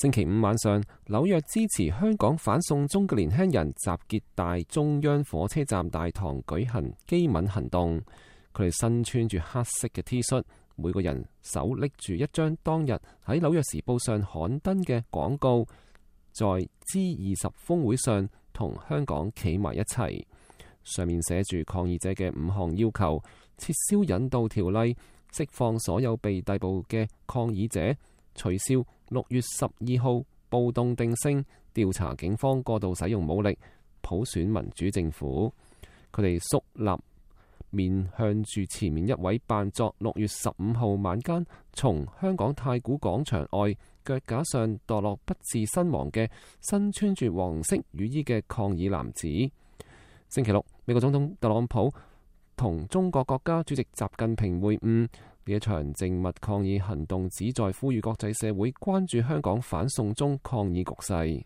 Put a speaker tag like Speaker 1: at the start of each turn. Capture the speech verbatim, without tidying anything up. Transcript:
Speaker 1: 星期五晚上，紐約支持香港反送中嘅年輕人集結大中央火車站大堂舉行機敏行動。佢哋身穿住黑色嘅 T 恤，每個人手拎住一張當日喺紐約時報上刊登嘅廣告，在 G 二十峰會上同香港企埋一齊。上面寫住抗議者嘅五項要求：撤銷引渡條例，釋放所有被逮捕嘅抗議者，取消六月十二號暴動定性，調查警方過度使用武力，普選民主政府。佢哋肅立面向住前面一位扮作六月十五號晚間從香港太古廣場外腳架上墮落不治身亡嘅身穿住黃色雨衣嘅抗議男子。星期六，美國總統特朗普同中國國家主席習近平會晤。呢一場靜默抗議行動旨在呼籲國際社會關注香港反送中抗議局勢。